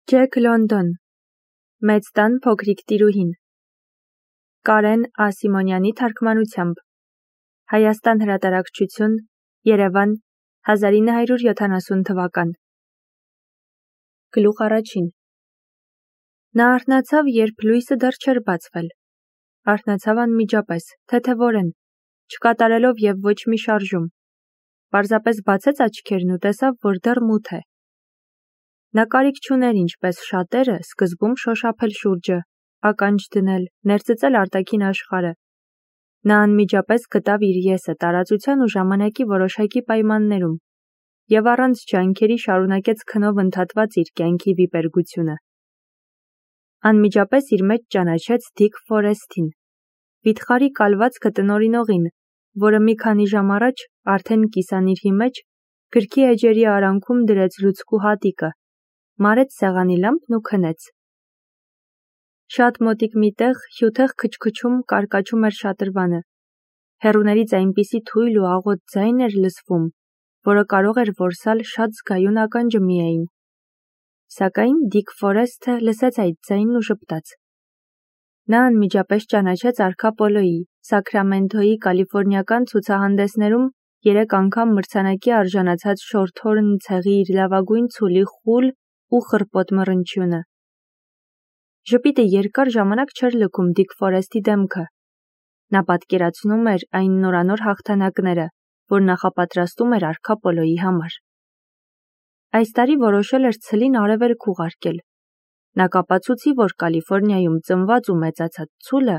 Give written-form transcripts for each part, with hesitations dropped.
Ջեք Լոնդոն, Մեծ տան փոքրիկ տիրուհին, Կարեն Ա. Սիմոնյանի թարգմանությամբ, Հայաստան հրատարակչություն, Երևան, 1970 թվական։ Գլուխ առաջին։ Նա արթնացավ, երբ լույսը դեռ չէր բացվել։ Արթնացավ անմիջապես, թեթևորեն, չկատարելով և ոչ մի շարժում։ Պարզապես բացեց աչքերն ու տեսավ, որ դեռ մութ է։ Նա կարիք չուներ ինչպես շատերը սկզբում շոշափել շուրջը, ականջ դնել, ներծծել արտաքին աշխարհը։ Նա անմիջապես գտավ իր եսը տարածության ու ժամանակի որոշակի պայմաններում և առանց ջանքերի շարունակեց քնով ընդհատված իր կյանքի վիպերգությունը։ Անմիջապես իր մեջ ճանաչեց Դիկ Ֆորեսթին, վիթխարի կալվածքը տնօրինողին, որը մի քանի ժամ առաջ արդեն կիսանիրհի մեջ գրքի էջերի արանքում դրեց լուցկու հատիկը, մարեց սեղանի լամպն ու քնեց։ Շատ մոտիկ մի տեղ հյութեղ քչքչում կարկաչում էր շատրվանը։ Հեռուներից այնպիսի թույլ ու աղոտ ձայն էր լսվում, որը կարող էր որսալ շատ զգայուն ականջը միայն։ Սակայն Դիկ Ֆորեսթը լսեց այդ ձայնն ու ժպտաց։ Նա անմիջապես ճանաչեց Արքա Պոլոյի, Սաքրամենթոյի կալիֆորնիական ցուցահանդեսներում 3 անգամ մրցանակի արժանացած շորթհորն ցեղի իր լավագույն ցուլի խուլ ու խռպոտ մռնչյունը։ Ժպիտը երկար ժամանակ չէր լքում Դիկ Ֆորեսթի դեմքը։ Նա պատկերացնում էր այն նորանոր հաղթանակները, որ նախապատրաստում էր Արքա Պոլոյի համար։ Այս տարի որոշել էր ցլին արևելք ուղարկել։ Նա կապացուցի, որ Կալիֆորնիայում ծնված ու մեծացած ցուլը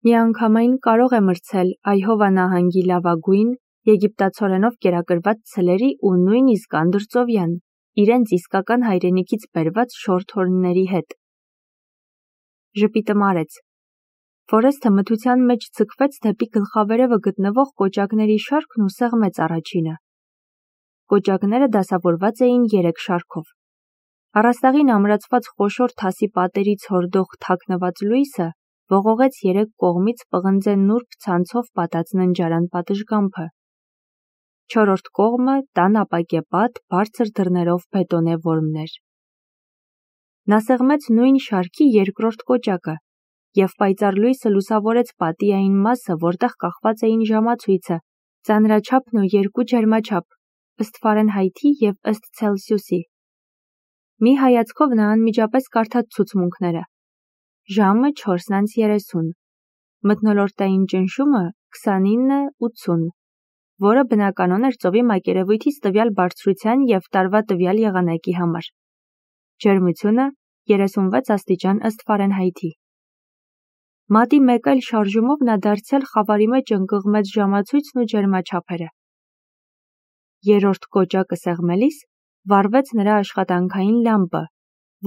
միանգամայն կարող է մրցել Այհովա նահանգի լավագույն եգիպտացորենով կերակրված ցլերի ու նույնիսկ անդրծովյան, իրենց իսկական հայրենիքից բերված շորթհորնների հետ։ Ժպիտը մարեց։ Ֆորեսթը մթության մեջ ձգվեց դեպի գլխավերևը գտնվող կոճակների շարքն ու սեղմեց առաջինը։ Կոճակները դասավորված էին 3 շարքով։ Առաստաղին ամրացված խոշոր թասի պատերից հորդող թաքնված լույսը ողողեց 3 կողմից պղնձե նուրբ ցանցով պատած ննջարան պատշգամբը։ 4-րդ կողմը տան ապակեպատ բարձր դռներով բետոնե որմն էր։ Նա սեղմեց նույն շարքի 2-րդ կոճակը, և պայծառ լույսը լուսավորեց պատի այն մասը, որտեղ կախված էին ժամացույցը, ծանրաչափն ու 2 ջերմաչափ, ըստ Ֆարենհայթի և ըստ Ցելսիուսի։ Մի հայացքով նա անմիջապես կարդաց ցուցմունքները։ Ժամը 4:30, մթնոլորտային ճնշումը 29:80, որը բնականon էր ծովի մակերևույթից տվյալ բարձրության և տարվա տվյալ եղանակի համար։ Ջերմությունը 36 աստիճան ըստ Ֆարենհայթի։ Մատի մեկ այլ շարժումով նա դարձյալ խավարի մեջ ընկղմեց ժամացույցն ու ջերմաչափերը։ 3-րդ կոճակը սեղմելիս վառվեց նրա աշխատանքային լամպը,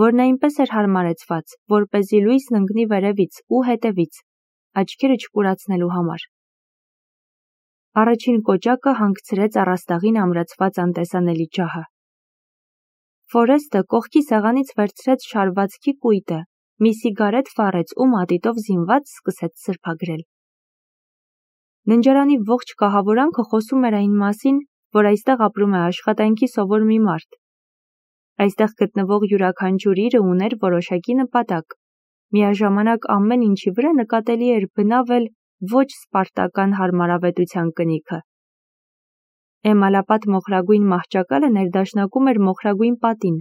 որն այնպես էր հարմարեցված, որպեսզի լույսն ընկնի վերևից ու հետևից, աչքերը չկուրացնելու համար։ Առաջին կոճակը հանգցրեց առաստաղին ամրացված անտեսանելի ջահը։ Ֆորեսթը կողքի սեղանից վերցրեց շարվածքի կույտը, մի սիգարետ վառեց ու մատիտով զինված սկսեց սրբագրել։ Ննջարանի ողջ կահավորանքը խոսում էր այն մասին, որ այստեղ ապրում է աշխատանքի սովոր մի մարդ։ Այստեղ գտնվող յուրաքանչյուր իրը ուներ որոշակի նպատակ։ Միաժամանակ ամեն ինչի վրա նկատելի էր բնավ էլ ոչ սպարտական հարմարավետության կնիքը։ Էմալապատ մոխրագույն մահճակալը ներդաշնակում էր մոխրագույն պատին։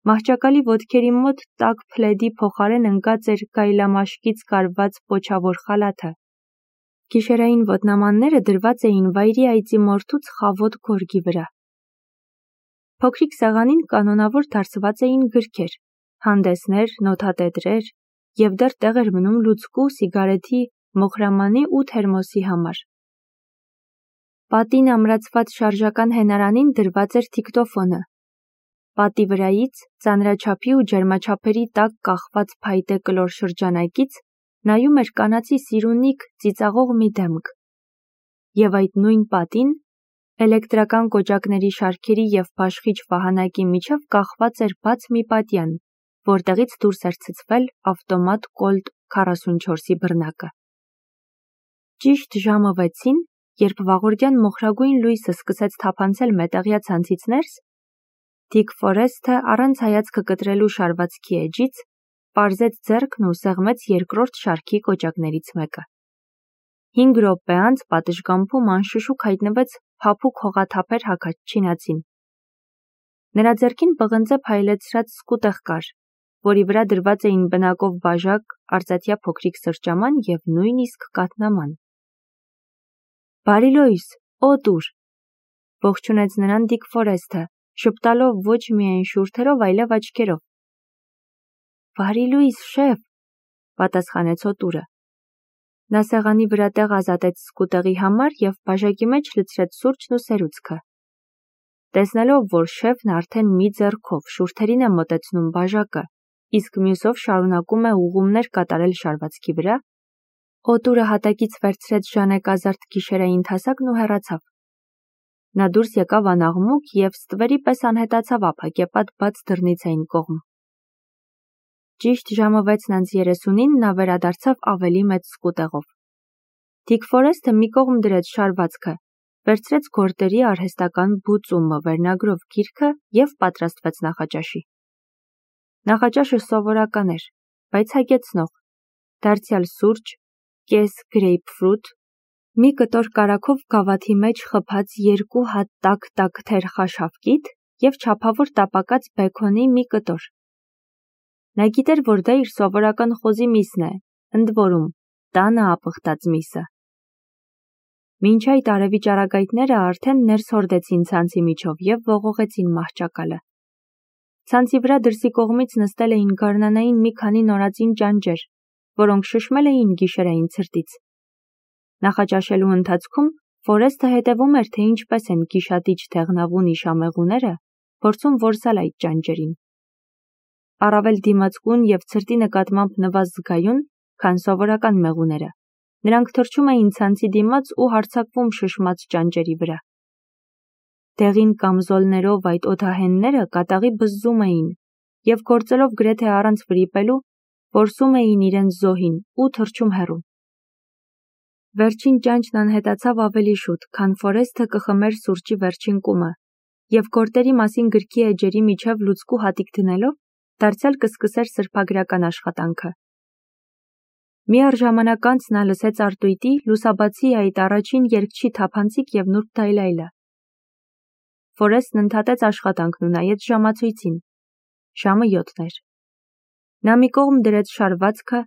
Մահճակալի ոտքերի մոտ տաք փլեդի փոխարեն ընկած էր գայլամաշկից կարված պոչավոր խալաթը։ Գիշերային ոտնամանները դրված էին վայրի այծի մորթուց խավոտ գորգի վրա։ Փոքրիկ սեղանին կանոնավոր դարսված էին գրքեր, հանդեսներ, նոթատետրեր և դեռ տեղ էր մնում լուցկու, սիգարեթի, մոխրամանի ու թերմոսի համար։ Պատին ամրացված շարժական հենարանին դրված էր դիկտոֆոնը։ Պատի վրայից, ծանրաչափի ու ջերմաչափերի տակ կախված փայտե կլոր շրջանակից նայում էր կանացի սիրունիկ ծիծաղող մի դեմք։ Եվ այդ նույն պատին էլեկտրական կոճակների շարքերի և բաշխիչ վահանակի միջև կախված էր բաց մի պատյան, որտեղից դուրս էր ցցվել ավտոմատ Կոլտ 44-ի բռնակը։ Ճիշտ ժամը 6-ին, երբ վաղորդյան մոխրագույն լույսը սկսեց թափանցել մետաղյա ցանցից ներս, Դիկ Ֆորեսթը առանց հայացքը կտրելու շարվածքի էջից պարզեց ձեռքն ու սեղմեց երկրորդ շարքի կոճակներից մեկը։ 5 րոպե անց պատշգամբում անշշուկ հայտնվեց փափուկ հողաթափեր հագած չինացին։ Նրա ձեռքին պղնձե փայլեցրած սկուտեղ կար, որի վրա դրված էին բնակով բաժակ, արծաթյա փոքրիկ սրճաման և նույնիսկ կաթնաման։ «Բարի լույս, օտուր», ողջունեց նրան Դիկ Ֆորեսթը, շպտալով ոչ միայն շուրթերով, այլև աչքերով։ «Բարի լույս, շեֆ», պատասխանեց օտուրը։ Նա սեղանի վրա տեղ ազատեց սկուտեղի համար և բաժակի մեջ լցրեց սուրճն ու սերուցքը։ Տեսնելով, որ շեֆն արդեն մի ձեռքով շուրթերին է մոտեցնում բաժակը, իսկ մյուսով շարունակում է ուղղումներ կատարել շարվածքի վրա, օտուրը հատակից վերցրեց ժանեկազարդ գիշերային թասակն ու հեռացավ։ Նա դուրս եկավ անաղմուկ և ստվերի պես անհետացավ ափակեպատ բաց դռնից այն կողմ։ Ճիշտ ժամը 6:30-ին նա վերադարձավ ավելի մեծ սկուտեղով։ Դիկ Ֆորեսթը մի կողմ դրեց շարվածքը, վերցրեց գորտերի արհեստական բուծումը վերնագրով գիրքը և պատրաստվեց նախաճաշի։ Նախաճաշը սովորական էր, բայց հագեցնող, դարձյալ սուրճ, կես գրեյփֆրութ, մի կտոր կարագով գավաթի մեջ խփած 2 հատ տաք թեր խաշավկիթ և չափավոր տապակած բեքոնի մի կտոր։ Նա գիտեր, որ դա իր սովորական խոզի միսն է, ընդ որում, տանը ապխտած միսը։ Մինչ այդ արևի ճառագայթները արդեն ներս հորդեցին ցանցի միջով և ողողեցին մահճակալը։ Ցանցի վրա դրսի կողմից նստել էին գարնանային մի քանի նորածին ճանճեր, որոնք շշմել էին գիշերային ցրտից։ Նախաճաշելու ընթացքում Ֆորեսթը հետևում էր, թե ինչպես են գիշատիչ թեղնավուն իշամեղուները փորձում որսալ այդ ճանճերին։ Առավել դիմացկուն և ցրտի նկատմամբ նվազ զգայուն, քան սովորական մեղուները, նրանք թռչում էին ցանցի դիմաց ու հարձակվում շշմած ճանճերի վրա։ Դեղին կամզոլներով այդ օդահենները կատաղի բզզում էին և գործելով գրեթե առանց վրիպելու, որսում էին իրենց զոհին ու թռչում հեռու։ Վերջին ճանճն անհետացավ ավելի շուտ, քան Ֆորեսթը կխմեր սուրճի վերջին կումը, և գորտերի մասին գրքի էջերի միջև լուցկու հատիկ դնելով, դարձյալ կսկսեր սրբագրական աշխատանքը։ Միառժամանակ անց նա լսեց արտույտի լուսաբացի այդ առաջին երգչի թափանցիկ և նուրբ դայլայլը։ Ֆորեսթն ընդհատեց աշխատանքն ու նայեց ժամացույցին։ Ժամը 7 էր։ Նա մի կողմ դրեց շարվածքը,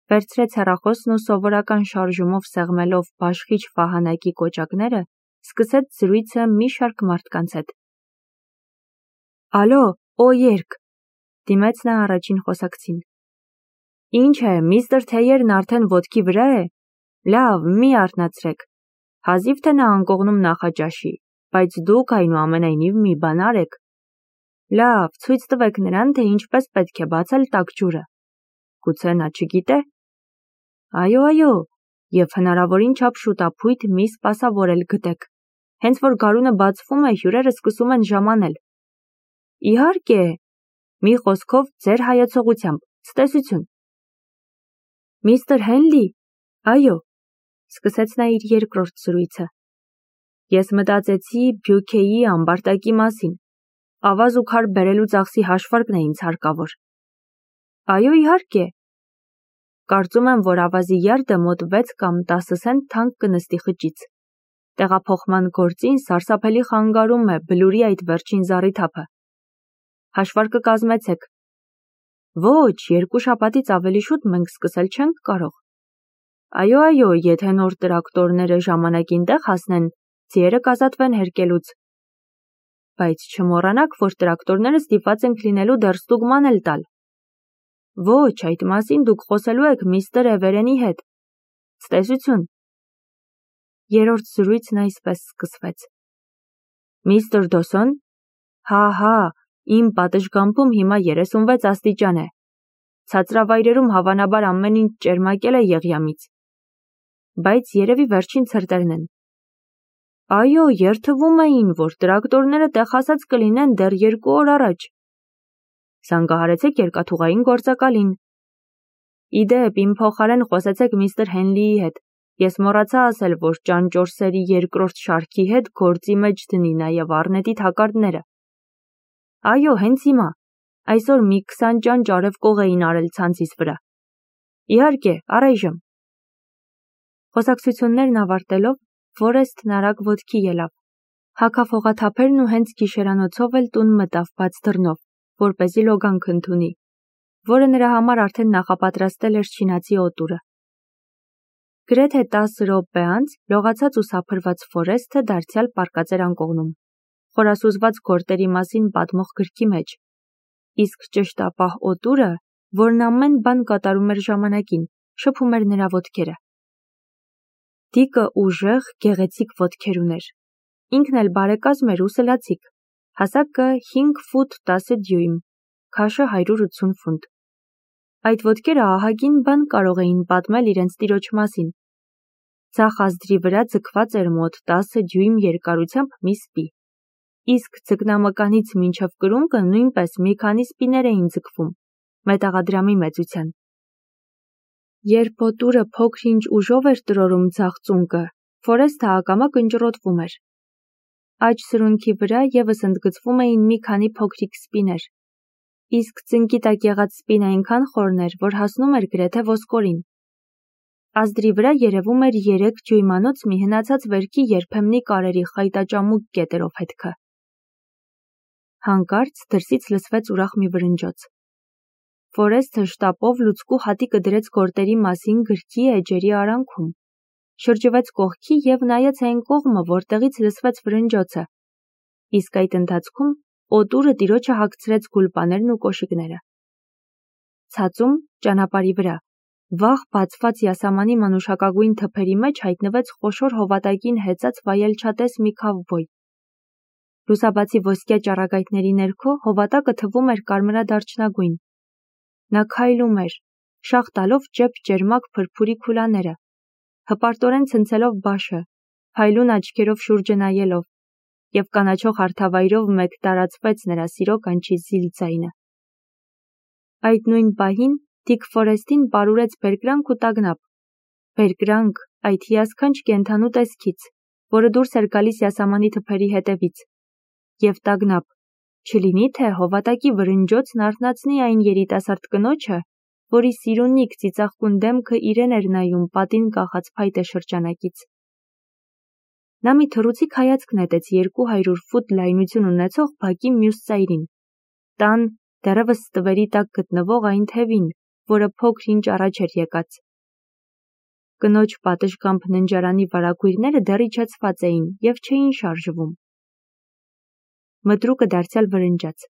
վերցրեց հեռախոսն ու սովորական շարժումով սեղմելով բաշխիչ վահանակի կոճակները, սկսեց զրույցը մի շարք մարդկանց հետ։ «Ալո, երգ», դիմեց նա առաջին խոսակցին։ «Ինչ է, միստր Թեյերն արդեն ոտքի վրա է։ Լավ, մի արթնացրեք։ Հազիվ թե նա անկողնում նախաճաշի, բայց դուք այնուամենայնիվ մի բան արեք։ Լավ, ցույց տվեք նրան, թե ինչպես պետք է բացել տաք ջուրը։ Գուցե նա չգիտե։ Այո, և հնարավորին չափ շուտափույթ մի սպասավորել գտեք։ Հենց որ գարունը բացվում է, հյուրերը սկսում են ժամանել։ Իհարկե, մի խոսքով ձեր հայեցողությամբ, ցտեսություն։ Միստր Հենլի, այո, սկսեց նա իր երկրորդ զրույցը։ Ես մտածեցի Բյուքեի ամբարտակի մասին։ Ավազ ու քար բերելու ծախսի հաշվարկն է ինձ հարկավոր։ Այո, իհարկե։ Կարծում եմ, որ ավազի յարդը մոտ 6 կամ 10 սենտ թանկ կնստի խճից։ Տեղափոխման գործին սարսափելի խանգարում է բլուրի այդ վերջին զառիթափը։ Հաշվարկը կազմեցեք։ Ոչ, 2 շաբաթից ավելի շուտ մենք սկսել չենք կարող։ Այո, եթե նոր տրակտորները ժամանակին տեղ հասնեն, ձիերը կազատվեն հերկելուց։ Բայց չմոռանաք, որ տրակտորները ստիպված ենք լինելու դեռ ստուգման էլ տալ։ Ոչ, այդ մասին դուք խոսելու եք միստր Էվերենի հետ։ Ցտեսություն։ Երրորդ զրույցն այսպես սկսվեց. Միստր Դոսոն, հա, իմ պատշգամբում հիմա 36 աստիճան է։ Ցածրավայրերում հավանաբար ամեն ինչ ճերմակել է եղյամից։ Բայց երևի վերջին ցրտերն են։ Այո, երթվում էին, որ տրակտորները տեղ հասած կլինեն դեռ 2 օր առաջ։ Զանգահարեցեք երկաթուղային գործակալին։ Իդեպ, իմ փոխարեն խոսեցեք միստր Հենլիի հետ։ Ես մոռացա ասել, որ ճանճորսերի երկրորդ շարքի հետ գործի մեջ դնի նաև առնետի թակարդները։ Այո, հենց հիմա։ Այսօր մի 20 ճանճ արև կող էին արել ցանցիս վրա։ Իհարկե, առայժմ։ Խոսակցություններն ավարտելով, Ֆորեսթն արագ ոտքի ելավ։ Հագափողաթափերն ու հենց գիշերանոցով էլ տուն մտավ բաց դռնով, որպեսզի լոգանք ընդունի, որը նրա համար արդեն նախապատրաստել էր չինացի օտուրը։ Գրեթե 10 րոպե անց լողացած ու սափրված Ֆորեսթը դարձյալ պառկած էր անկողնում, խորասուզված գործերի մասին պատմող գրքի մեջ, իսկ ճշտապահ օտուրը, որն ամեն բան կատարում էր ժամանակին, շփում էր նրա ոտքերը։ Դիկը ուժեղ, գեղեցիկ ոտքեր ուներ։ Ինքն էլ բարեկազմ էր ու սլացիկ, հասակը 5 ֆուտ 10 դյույմ, քաշը 180 ֆունտ։ Այդ ոտքերը ահագին բան կարող էին պատմել իրենց տիրոջ մասին։ Ձախ ազդրի վրա ձգված էր մոտ 10 դյույմ երկարությամբ մի սպի, իսկ ձկնամկանից մինչև կրունկը նույնպես մի քանի սպիներ էին ձգվում, մետաղադրամի մեծության։ Երբ օտուրը փոքր-ինչ ուժով էր տրորում ձախ ծունկը, Ֆորեսթը ակամա կնճռոտվում էր։ Աջ սրունքի վրա ևս ընդգծվում էին մի քանի փոքրիկ սպիներ, իսկ ծնկի տակ եղած սպին այնքան խորն էր, որ հասնում էր գրեթե ոսկորին։ Ազդրի վրա երևում էր 3 դյույմանոց մի հնացած վերքի երբեմնի կարերի խայտաճամուկ կետերով հետքը։ Հանկարծ դրսից լսվեց ուրախ մի վրնջոց։ Ֆորեսթը շտապով լուցկու հատիկը դրեց գործերի մասին գրքի էջերի արանքում, շրջվեց կողքի և նայեց այն կողմը, որտեղից լսվեց վրնջոցը, իսկ այդ ընթացքում օտուրը տիրոջը հագցրեց գուլպաներն ու կոշիկները։ Ցածում, ճանապարհի վրա, վաղ բացված յասամանի մանուշակագույն թփերի մեջ հայտնվեց խոշոր հովատակին հեծած վայելչատես մի քավբոյ։ Լուսաբացի ոսկյա ճառագայթների ներքո հովատակը թվում էր կարմրադարչնագույն։ Նա քայլում էր, շաղ տալով ճեպ ճերմակ փրփուրի քուլաները, հպարտորեն ցնցելով բաշը, փայլուն աչքերով շուրջը նայելով, և կանաչող հարթավայրով մեկ տարածվեց նրա սիրո կանչի զիլ ձայնը։ Այդ նույն պահին Դիկ Ֆորեսթին պարուրեց բերկրանք ու տագնապ, բերկրանք այդ հիասքանչ կենդանու տեսքից, որը դուրս էր գալիս յասամանի թփերի հետևից, և տագնապ, չլինի թե հովատակի վրնջոցն արթնացնի այն երիտասարդ կնոջը, որի սիրունիկ ծիծաղկուն դեմքը իրեն էր նայում պատին կախած փայտե շրջանակից։ Նա մի թռուցիկ հայացք նետեց 200 ֆուտ լայնություն ունեցող բակի մյուս ծայրին, տան դեռևս ստվերի տակ գտնվող այն թևին, որը փոքր-ինչ առաջ էր եկած։ Կնոջ պատշգամբ ննջարանի վարագույրները դեռ իջեցված էին և չէին շարժվում։ Մտրուկը դարձյալ վրնջաց,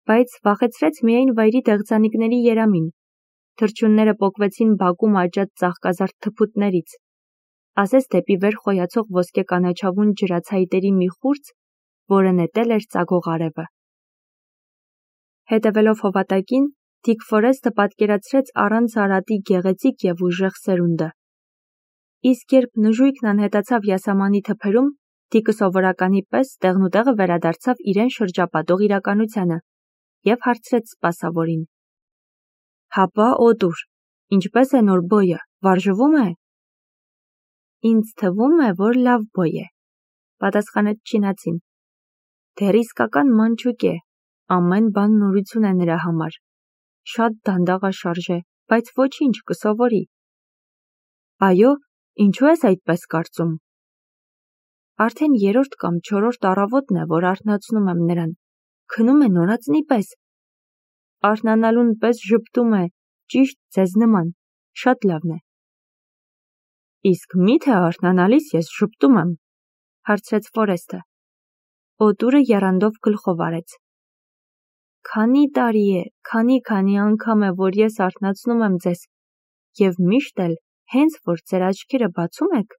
բայց վախեցրեց միայն վայրի դեղձանիկների երամին, թռչունները պոկվեցին բակում աճած ծաղկազարդ թփուտներից, ասես դեպի վեր խոյացող ոսկե կանաչավուն ջրացայտերի մի խուրձ, որը նետել էր ծագող արևը։ Հետևելով հովատակին, Դիկ Ֆորեսթը պատկերացրեց առանց արատի գեղեցիկ և ուժեղ սերունդը։ Իսկ երբ նժույգն անհետացավ յասամանի թփերում, Դիկը սովորականի պես տեղնուտեղը վերադարձավ իրեն շրջապատող իրականությանը և հարցրեց սպասավորին. «Հապա, օտուր, ինչպես է նոր բոյը, վարժվում է»։ «Ինձ թվում է, որ լավ բոյ է», պատասխանեց չինացին։ «Դեռ իսկական մանչուկ է, ամեն բան նորություն է նրա համար, շատ դանդաղաշարժ է, բայց ոչինչ, կսովորի»։ «Այո, ինչու ես այդպես կարծում»։ Արդեն 3-րդ կամ 4-րդ առավոտն է, որ արթնացնում եմ նրան, քնում է նորածնի պես։ Արթնանալուն պես ժպտում է, ճիշտ ձեզ նման, շատ լավն է։ Իսկ մի՞թե արթնանալիս ես ժպտում եմ, հարցրեց Ֆորեսթը։ Օտուրը եռանդով գլխով արեց։ Քանի տարի է, քանի անգամ է, որ ես արթնացնում եմ ձեզ, և միշտ էլ, հենց որ ձեր աչքերը բացում եք,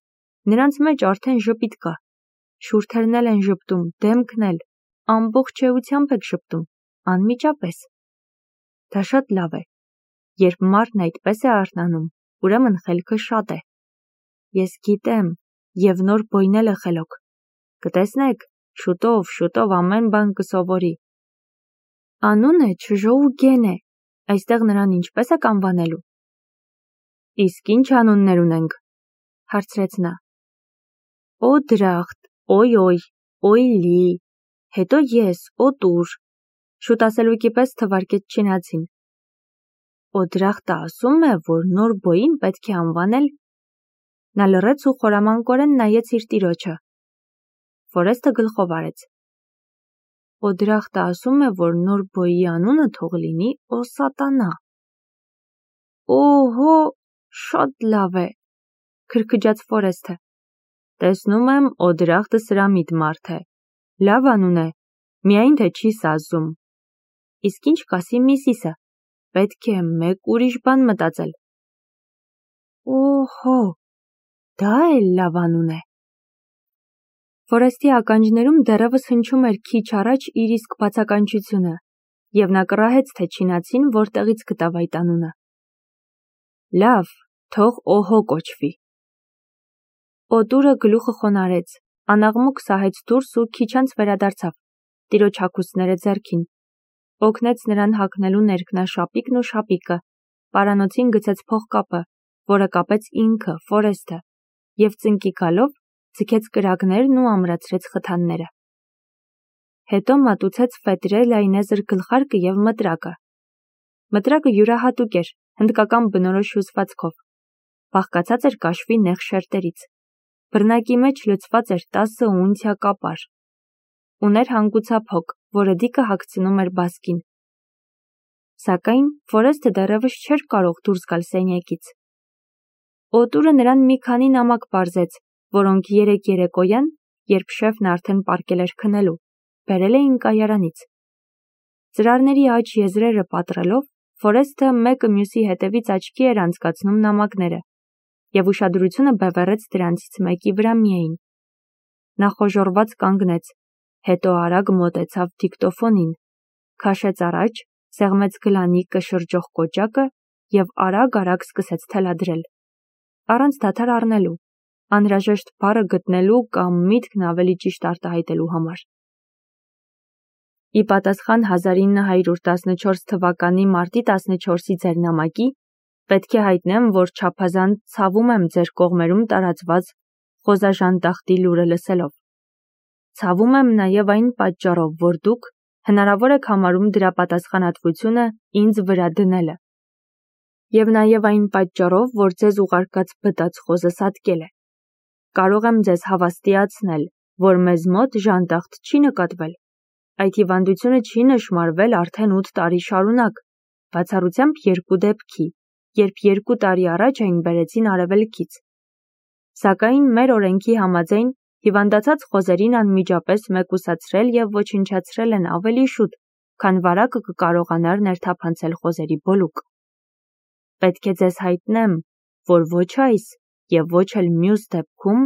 նրանց մեջ արդեն ժպիտ կա, շուրթերն էլ են ժպտում, դեմքն էլ, ամբողջ էությամբ եք ժպտում, անմիջապես։ Դա շատ լավ է, երբ մարդն այդպես է արթնանում, ուրեմն խելքը շատ է։ Ես գիտեմ, և նոր բոյն էլ է խելոք։ Կտեսնեք, շուտով ամեն բան կսովորի։ Անունը Չժոուգեն է, այստեղ նրան ինչպես եք անվանելու։ Իսկ ինչ անուններ ունենք, հարցրեց նա։ Օդրախտ, օյ, օյլի, հետո ես, օտուր, Շուտ ասելուկի պես թվարկեց չինացին։ Օդրախտը ասում է, որ նոր բոյին պետք է անվանել։ Նա լռեց ու խորամանկորեն նայեց իր տիրոջը։ Ֆորեստը գլխով արեց։ Օդրախտը ասում է, որ նոր բոյի անունը թող լինի Օսատանա։ Օհո, շատ լավ է, քրքջաց Ֆորեստը։ Տեսնում եմ, Օդրախտը սրամիտ մարդ է։ Լավ անուն է, միայն թե չի սազում։ Իսկ ինչ կասի Միսիսը, պետք է մեկ ուրիշ բան մտածել։ Օհո, դա էլ լավ անուն է։ Ֆորեստի ականջներում դեռևս հնչում էր քիչ առաջ իր իսկ բացականչությունը, և նա կռահեց, թե չինացին որտեղից գտավ այդ անունը։ Լավ, թող օհո կոչվի։ Օտուրը գլուխը խոնարհեց, անաղմուկ սահեց դուրս ու քիչ անց վերադարձավ, տիրոջ հագուստները ձեռքին, օգնեց նրան հագնելու ներքնաշապիկն ու շապիկը, պարանոցին գցեց փողկապը, որը կապեց ինքը, Ֆորեստը, և ծնկի գալով ձգեց կրակներն ու ամրացրեց խթանները։ Հետո մատուցեց ֆետրե լայնեզր գլխարկը և մտրակը։ Մտրակը յուրահատուկ էր, հնդկական բնորոշ հյուսվածքով, բաղկացած էր կաշվի նեղ շերտերից։ Բռնակի մեջ լցված էր 10 ունցիա կապար։ Ուներ հանգուցափ հոգ, որը դիկը հագցնում էր բասկին։ Սակայն Ֆորեստը դեռևս չէր կարող դուրս գալ սենյակից։ Օտուրը նրան մի քանի նամակ պարզեց, որոնք երեկ երեկոյան, երբ շեֆն արդեն պառկել էր քնելու, բերել էին կայարանից։ Ծրարների աջ եզրերը պատռելով, Ֆորեստը մեկը մյուսի հետևից աչքի էր անցկացնում նամակները, և ուշադրությունը բևեռեց դրանցից մեկի վրա միայն։ Նա խոժոռված կանգնեց, հետո արագ մոտեցավ դիկտոֆոնին, քաշեց առաջ, սեղմեց գլանիկը շրջող կոճակը և արագ-արագ սկսեց թելադրել, առանց դադար առնելու, անհրաժեշտ բառը գտնելու կամ միտքն ավելի ճիշտ արտահայտելու համար։ Ի պատասխան 1914 թվականի մարտի 14-ի ձեր նամակի, պետք է հայտնեմ, որ չափազանց ցավում եմ ձեր կողմերում տարածված խոզաժանդախտի լուրը լսելով։ Ցավում եմ նաև այն պատճառով, որ դուք հնարավոր եք համարում դրա պատասխանատվությունը ինձ վրա դնելը։ Եվ նաև այն պատճառով, որ ձեզ ուղարկած բտած խոզը սատկել է։ Կարող եմ ձեզ հավաստիացնել, որ մեզ մոտ ժանդախտ չի նկատվել։ Այդ հիվանդությունը չի նշմարվել արդեն 8 տարի շարունակ, բացառությամբ 2 դեպքի, երբ 2 տարի առաջ այն բերեցին Արևելքից։ Սակայն մեր օրենքի համաձայն հիվանդացած խոզերին անմիջապես մեկուսացրել և ոչնչացրել են ավելի շուտ, քան վարակը կկարողանար ներթափանցել խոզերի բոլուկ։ Պետք է ձեզ հայտնեմ, որ ոչ այս և ոչ էլ մյուս դեպքում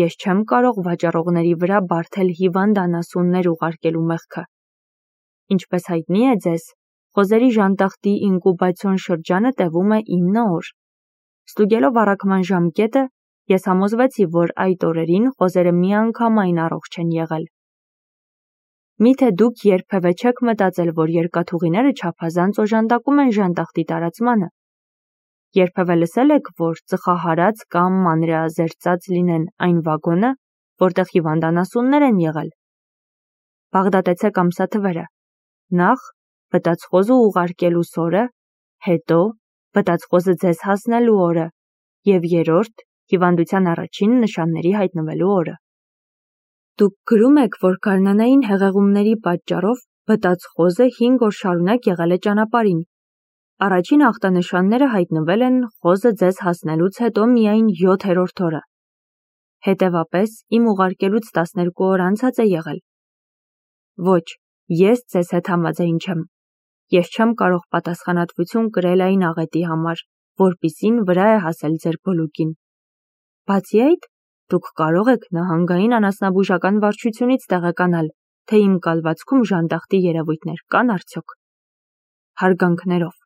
ես չեմ կարող վաճառողների վրա բարդել հիվանդ անասուններ ուղարկելու մեղքը։ Ինչպես հայտնի է ձեզ, խոզերի ժանդախտի ինկուբացիոն շրջանը տևում է 9 օր։ Ստուգելով առաքման ժամկետը, ես համոզվեցի, որ այդ օրերին խոզերը միանգամայն առողջ են եղել։ Միթե դուք երբևէ չեք մտածել, որ երկաթուղիները չափազանց օժանդակում են ժանդախտի տարածմանը։ Երբևէ լսել եք, որ ծխահարած կամ մանրէազերծած լինեն այն վագոնը, որտեղ հիվանդ անասուններ են եղել։ Բաղդատեցեք ամսաթվերը։ Նախ բտած խոզը ուղարկելու օրը, հետո բտած խոզը ձեզ հասնելու օրը և երրորդ հիվանդության առաջին նշանների հայտնվելու օրը։ Դուք գրում եք, որ գարնանային հեղեղումների պատճառով բտած խոզը 5 օր շարունակ եղել է ճանապարհին։ Առաջին ախտանշանները հայտնվել են խոզը ձեզ հասնելուց հետո միայն 7-րդ օրը։ Հետևապես, իմ ուղարկելուց 12 օր անցած է եղել։ Ոչ, ես ձեզ հետ համաձայն չեմ։ Ես չեմ կարող պատասխանատվություն կրել այն աղետի համար, որպիսին վրա է հասել ձեր բոլուկին։ Բացի այդ, դուք կարող եք նահանգային անասնաբուժական վարչությունից տեղեկանալ, թե իմ կալվածքում ժանդախտի երևույթներ կան արդյոք։ Հարգանքներով։